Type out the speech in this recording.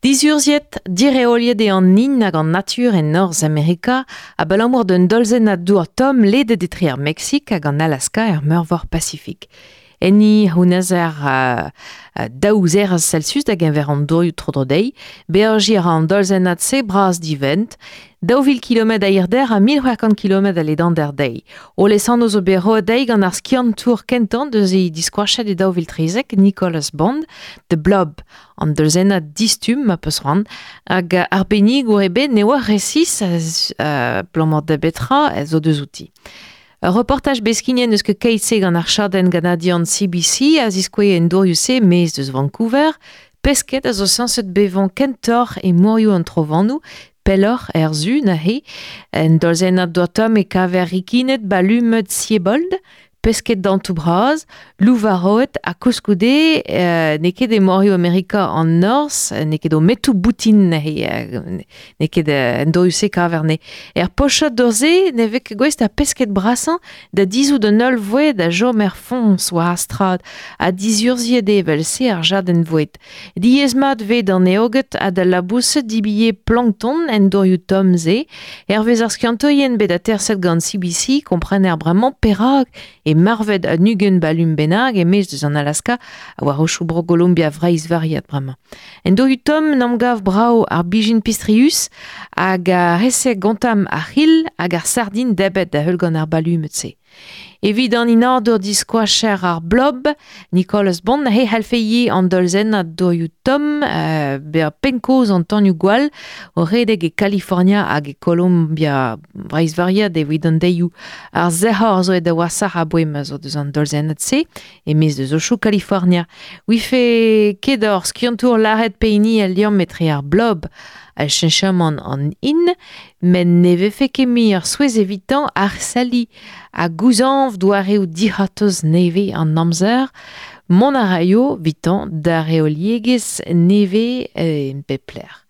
Dizurzhiet, direoliet eo an hin hag an natur e Norzh Amerika abalamour d'un dolzennad dour tomm ledet etre ar Meksik hag an Alaska er Meurvor Pasifik. Enni c'hounezer daou zerez Celsius da geñver an dourioù tro-dro dezhi. Beajiñ a ra an dolzennad-se bras-divent, 2000 kilometr a hirder ha 1600 kilometr a ledander dezhi. O lesanv zo bet roet dezhi gant ar skiantour kentañ deus he diskoachet e 2013, Nicholas Bond, The Blob, an dolzennad distumm ma peus c'hoant, hag arbennigour ebet ne oa resis abalamour da betra zo deus outi. Ur reportaj bet skignet n'eus ket keit-se gant ar chadenn ganadian CBC a ziskouez en dourioù-se maez deus Vancouver. Pesked a zo sañset bevañ kentoc'h e morioù an trovanoù, pelloc'h er su neuze. En dolzennad dour tomm e kaver rikined balumed Siebold, pesked dantoù bras, louvaroed ha koulskoude n'eo ket e morioù Amerika an Norzh, n'eo ket o metoù boutin neuze, n'eo ket en dourioù-se kaver ne. Er pochad dour-se ne vez ket gouest ar pesked brasañ da dizhout an holl voued a chom er foñs war ar strad ha dizurzhiet eo evel-se ar jadenn voued. Diaes-mat 'vez d'an eoged ha d'al laboused dibilhe plankton en dourioù tomm-se. Hervez ar skiantourien bet aterset gant CBC komprener bremañ perak e marvet un 20 balum bennak e-maez deus an Alaska ha war aochoù Bro-Golombia Vreizh-Variat bremañ. En dourioù tomm n'am gav brav ar bijin pistrius hag ar re-se gontamm ar c'hil hag ar sardin debret da heul gant ar balumed-se. Evit an inadur diskoacher ar blob, Nicolas Bond he c'hallfe ivez an dolzennad dourioù tomm bezañ pennkozh an tanioù-gwall o redek e Kalifornia hag e Kolombia Breizh-Variat evit an deioù. Ar sec'hor zo aet da washoc'h aboae ma zo deus an dolzennad-se e-maez deus aochoù Kalifornia. Ouife ket hor skiantour lâret pehini al liamm etre ar blob ha cheñchamant an hin, met ne vefe ket mui ur souezh evitañ arselliñ ha gouzañv doareoù dic'hortoz nevez an amzer. Mont a raio evitañ da reoliegezh nevez e pep lec'h.